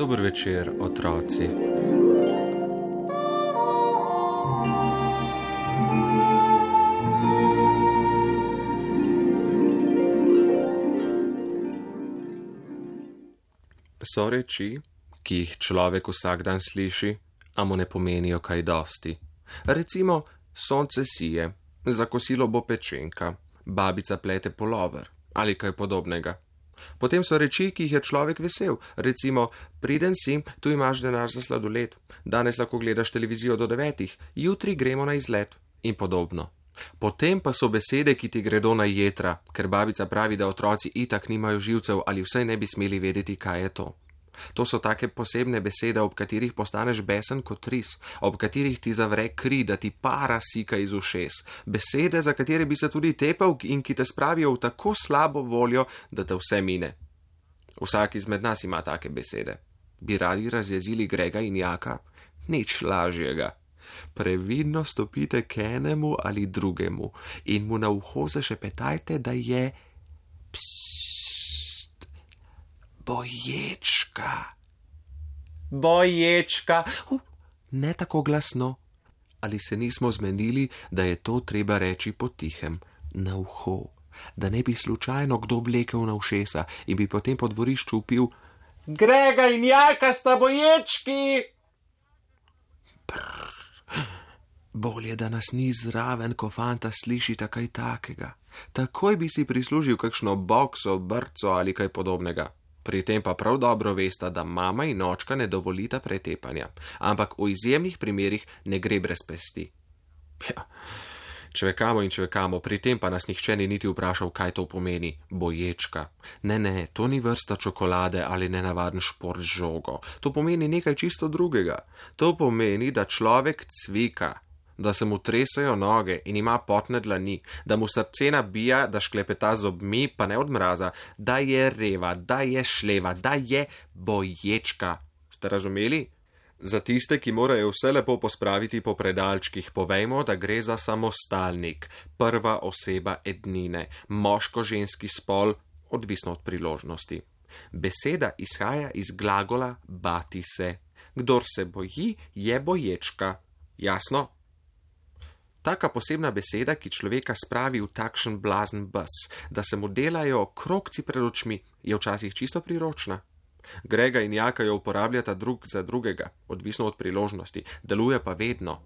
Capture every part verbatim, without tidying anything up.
Dober večer, otroci. So reči, ki jih človek vsak dan sliši, a mu ne pomenijo kaj dosti. Recimo, sonce sije, za kosilo bo pečenka, babica plete pulover ali kaj podobnega. Potem so reči, ki jih je človek vesel, recimo, priden si, tu imaš denar za sladoled, danes lahko gledaš televizijo do devetih, jutri gremo na izlet in podobno. Potem pa so besede, ki ti gredo na jetra, ker babica pravi, da otroci itak nimajo živcev ali vsaj ne bi smeli vedeti, kaj je to. To so take posebne besede, ob katerih postaneš besen kot ris, ob katerih ti zavre kri, da ti para sika iz ušes. Besede, za katere bi se tudi tepel in ki te spravijo v tako slabo voljo, da te vse mine. Vsak izmed nas ima take besede. Bi radi razjezili Grega in Jaka? Nič lažjega. Previdno stopite k enemu ali drugemu in mu na uho zašepetajte, da je psst, Boječka. Boječka. Uh, ne tako glasno. Ali se nismo zmenili, da je to treba reči potihem, na uho, da ne bi slučajno kdo vlekel na ušesa in bi potem po dvorišču upil: Grega in Jaka sta boječki! Brr. Bolje, da nas ni zraven, ko fanta slišita kaj takega. Takoj bi si prislužil kakšno bokso, brco ali kaj podobnega. Pri tem pa prav dobro vesta, da mama in očka ne dovolita pretepanja, ampak v izjemnih primerih ne gre brez pesti. Ja, čvekamo in čvekamo, pri tem pa nas nihče ni niti vprašal, kaj to pomeni, boječka. Ne, ne, to ni vrsta čokolade ali nenavaden šport z žogo. To pomeni nekaj čisto drugega. To pomeni, da človek cvika, da se mu tresajo noge in ima potne dlani, da mu srce nabija, da šklepeta zobmi, pa ne od mraza, da je reva, da je šleva, da je boječka. Ste razumeli? Za tiste, ki morajo vse lepo pospraviti po predalčkih, povejmo, da gre za samostalnik, prva oseba ednine, moško-ženski spol, odvisno od priložnosti. Beseda izhaja iz glagola bati se. Kdor se boji, je boječka. Jasno? Taka posebna beseda, ki človeka spravi v takšen blazen bes, da se mu delajo krogci pred očmi, je včasih čisto priročna. Grega in Jaka jo uporabljata drug za drugega, odvisno od priložnosti, deluje pa vedno.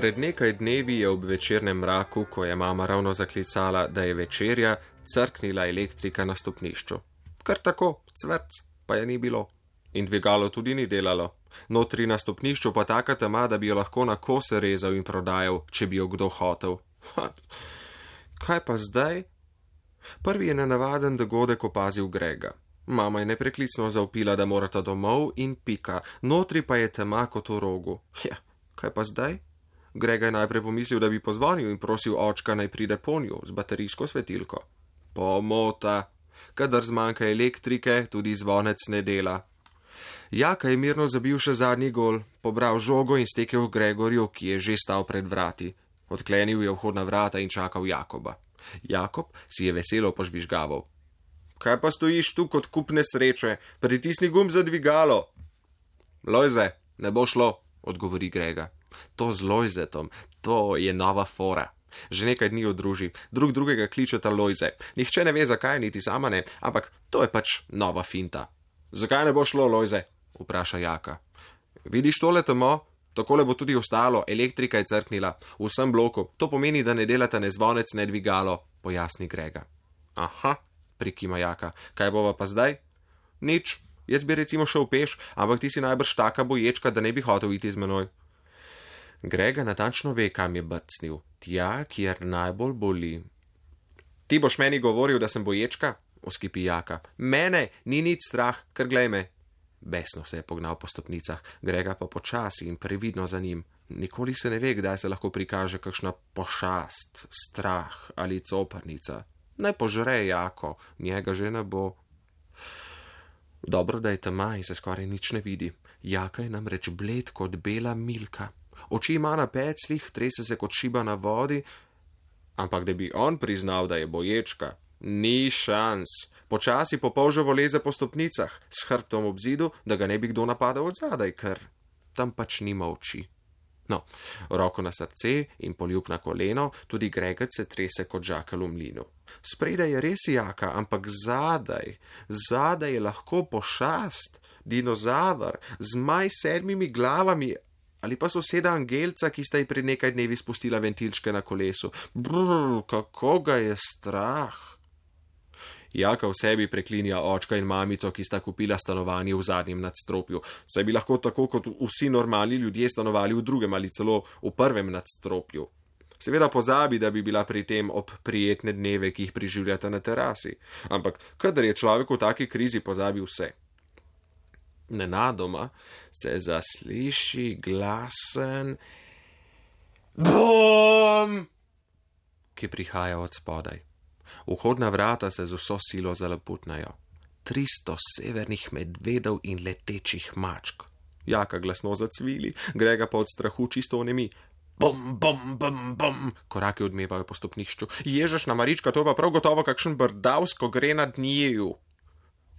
Pred nekaj dnevi je ob večernem mraku, ko je mama ravno zaklicala, da je večerja, crknila elektrika na stopnišču. Kar tako, cvrc, pa je ni bilo. In dvigalo tudi ni delalo. Notri na stopnišču pa taka tema, da bi jo lahko na kose rezal in prodajal, če bi jo kdo hotel. Ha, kaj pa zdaj? Prvi je nenavaden dogodek opazil Grega. Mama je nepreklicno zavpila, da morata domov in pika, notri pa je tema kot v rogu. Ja, kaj pa zdaj? Grega je najprej pomislil, da bi pozvonil in prosil očka, naj pride ponju z baterijsko svetilko. Pomota. Kadar zmanjka elektrike, tudi zvonec ne dela. Jaka je mirno zabil še zadnji gol, pobral žogo in stekel Gregorju, ki je že stal pred vrati. Odklenil je vhodna vrata in čakal Jakoba. Jakob si je veselo požvižgaval. Kaj pa stojiš tu kot kup nesreče? Pritisni gumb za dvigalo. Lojze, ne bo šlo, odgovori Grega. To z Lojzetom, to je nova fora. Že nekaj dni odruži, drug drugega kličeta Lojze. Nihče ne ve, zakaj, niti sama ne, ampak to je pač nova finta. Zakaj ne bo šlo, Lojze? Vpraša Jaka. Vidiš tole temo? Takole bo tudi ostalo, elektrika je crknila v vsem bloku. To pomeni, da ne delata ne zvonec, ne dvigalo, pojasni Grega. Aha, prikima Jaka, kaj bova pa zdaj? Nič, jaz bi recimo šel peš, ampak ti si najbrž taka boječka, da ne bi hotel iti z menoj. Grega natančno ve, kam je brcnil, tja, kjer najbolj boli. Ti boš meni govoril, da sem boječka? Oskipi Jaka. Mene ni nič strah, ker glej me. Besno se je pognal po stopnicah, Grega pa počasi in previdno za njim. Nikoli se ne ve, kdaj se lahko prikaže kakšna pošast, strah ali coparnica. Naj požre Jako, njega že ne bo. Dobro, da je tema in se skoraj nič ne vidi. Jaka je namreč bled kot bela milka. Oči ima na peclih, trese se kot šiba na vodi, ampak da bi on priznal, da je boječka, ni šans. Počasi po polževo leze po stopnicah, s hrbtom ob zidu, da ga ne bi kdo napadal od zadaj, ker tam pač nima oči. No, roko na srce in poljub na koleno, tudi Gregec se trese kot žakelj v mlinu. Spredaj je res Jaka, ampak zadaj, zadaj je lahko pošast, dinozaver, zmaj s sedmimi glavami ali pa soseda Angelca, ki sta ji pred nekaj dnevi spustila ventilčke na kolesu. Brr, kako ga je strah. Jaka v sebi preklinja očka in mamico, ki sta kupila stanovanje v zadnjem nadstropju, saj bi lahko tako kot vsi normalni ljudje stanovali v drugem ali celo v prvem nadstropju. Seveda pozabi, da bi bila pri tem ob prijetne dneve, ki jih preživljata na terasi, ampak kadar je človek v taki krizi, pozabi vse. Nenadoma se zasliši glasen bum, ki prihaja od spodaj. Vhodna vrata se z vso silo zalaputnajo. Tristo severnih medvedov in letečih mačk. Jaka glasno zacvili, Grega pa od strahu čisto onemi. Bum, bum, bum, bum, koraki odmevajo po stopnišču. Ježešna Marička, to pa prav gotovo kakšen brdavsko gre nad njiju.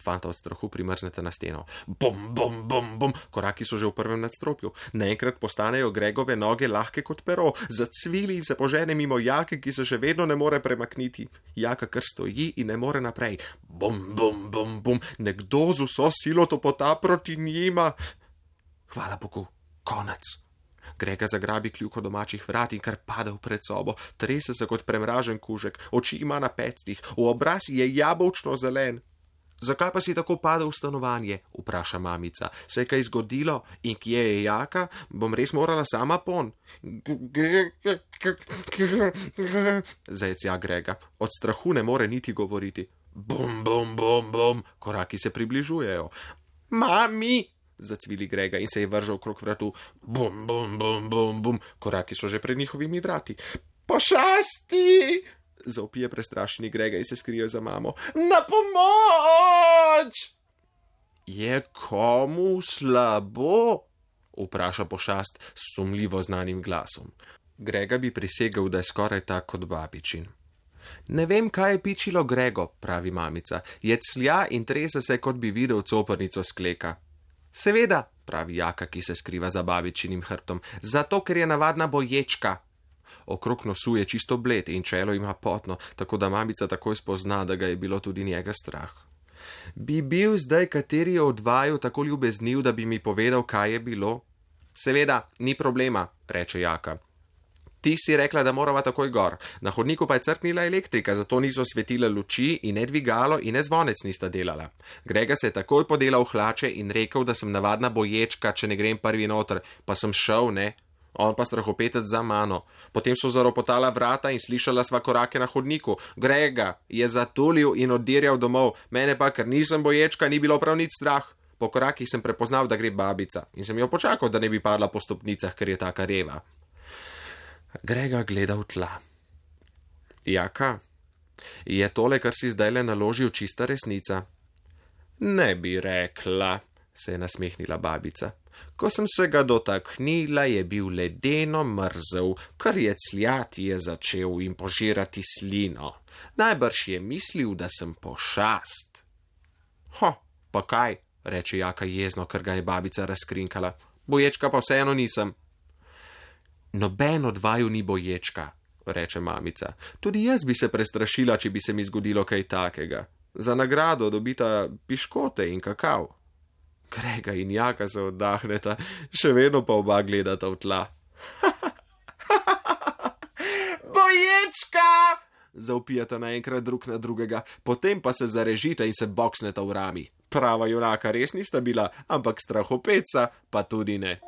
Fanta od strahu primrznete na steno. Bum, bum, bum, bum, koraki so že v prvem nadstropju. Naenkrat postanejo Gregove noge lahke kot pero, zacvili in se požene mimo Jake, ki se še vedno ne more premakniti. Jaka kar stoji in ne more naprej. Bum, bum, bum, bum, nekdo z vso silo topota proti njima. Hvala Bogu, konec. Grega zagrabi kljuko domačih vrat in kar pade v pred sobo, trese se kot premražen kužek, oči ima na pecnih, v obraz je jabolčno zelen. Zakaj pa si tako padel v stanovanje? Vpraša mamica. Se je kaj zgodilo in kje je Jaka? Bom res morala sama pon. Zajecja Grega. Od strahu ne more niti govoriti. Bum, bum, bum, bum. Koraki se približujejo. Mami! Zacvili Grega in se je vržal okrog vratu. Bum, bum, bum, bum, bum. Koraki so že pred njihovimi vrati. Pošasti! Zaupije prestrašeni Grega in se skrije za mamo. Na pomoč! Je komu slabo? Vpraša pošast s sumljivo znanim glasom. Grega bi prisegel, da je skoraj tak kot babičin. Ne vem, kaj je pičilo Grego, pravi mamica. Je clja in trese se, kot bi videl coprnico skleka. Seveda, pravi Jaka, ki se skriva za babičinim hrbtom, zato ker je navadna boječka. Okrog nosu je čisto bled in čelo ima potno, tako da mamica takoj spozna, da ga je bilo tudi njega strah. Bi bil zdaj kateri od vaju tako ljubezniv, da bi mi povedal, kaj je bilo? Seveda, ni problema, reče Jaka. Ti si rekla, da morava takoj gor. Na hodniku pa je crknila elektrika, zato niso svetile luči in ne dvigalo in ne zvonec nista delala. Grega se je takoj podelal v hlače in rekel, da sem navadna boječka, če ne grem prvi noter, pa sem šel, ne? On pa strahopetec za mano. Potem so zaropotala vrata in slišala sva korake na hodniku. Grega je zatulil in oddirjal domov, mene pa, ker nisem boječka, ni bilo prav nič strah. Po korakih sem prepoznal, da gre babica in sem jo počakal, da ne bi padla po stopnicah, ker je taka reva. Grega gleda v tla. Jaka, je tole, kar si zdajle naložil, čista resnica? Ne bi rekla, se je nasmehnila babica. Ko sem se ga dotaknila, je bil ledeno mrzel, kar je cljati je začel in požirati slino. Najbrž je mislil, da sem pošast. Ho, pa kaj, reče Jaka jezno, ker ga je babica razkrinkala. Boječka pa vseeno nisem. Noben od vaju ni boječka, reče mamica. Tudi jaz bi se prestrašila, če bi se mi zgodilo kaj takega. Za nagrado dobita piškote in kakav. Grega in Jaka se oddahneta, še vedno pa oba gledata v tla. Boječka! zaupijata naenkrat drug na drugega, potem pa se zarežita in se boksneta v rami. Prava junaka res nista bila, ampak strahopeca pa tudi ne.